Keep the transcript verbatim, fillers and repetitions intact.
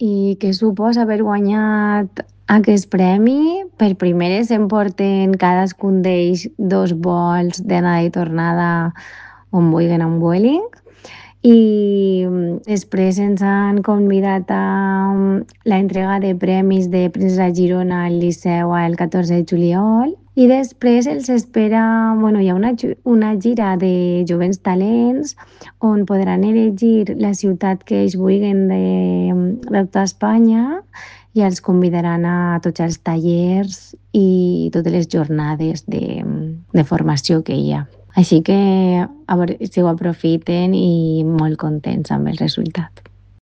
I què suposa haver guanyat aquest premi? Per primeres s'emporten cadascun d'ells dos vols d'anada i tornada on vulguen amb Vueling i després ens han convidat a la entrega de premis de Princesa Girona al Liceu el catorze de juliol i després els espera, bueno, hi ha una, una gira de jovents talents on podran elegir la ciutat que ells vulguin de, de tota Espanya i els convidaran a tots els tallers i totes les jornades de, de formació que hi ha. Així que a veure si ho aprofiten i molt contents amb el resultat.